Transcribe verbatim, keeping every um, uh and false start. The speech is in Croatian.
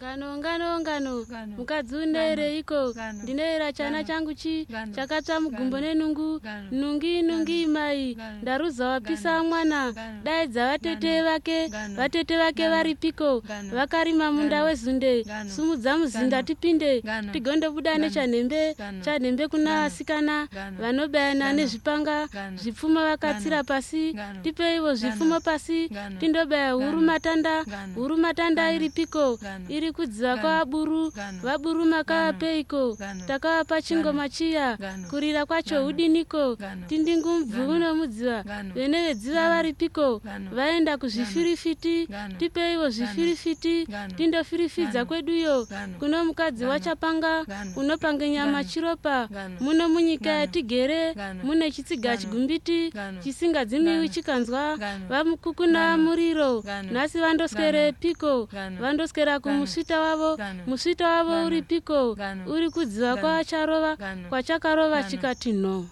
Ngano ngano ngano mukadzundere iko ndinera chana changu chi chakatsva mugumbo nenungu nungi nungi mai ndaruza wapisa mwana daidza vatete vake vatete vake varipiko vakarima munda wezunde sumudza muzinda tipinde tigondobuda nechanembe chanembe kuna vasikana vanobayana nezvipanga zvipfumo vakatsira pasi tipeivo zvipfumo pasi tindobaya huru matanda huru matanda iripiko iri kudziva kwavaburu vaburu makavapeiko takavapa chingoma chiya kurira kwacho udiniko tindingumubvu unomudziva vene vedziva varipiko vaenda kuzvifirifiti tipeivo zvifirifiti tindofirifidza kweduyo kuno mukadzi wachapanga unopanga nyama chiropa muno munyika yatigere mune chitsiga chigumbiti chisingadzimiwi chikanzwa vamukukuna muriro nhasi vandoswere piko vandoswera kumusvita wavo musvita wavo uri piko uri kudziva kwacharova kwachakarova chikati no.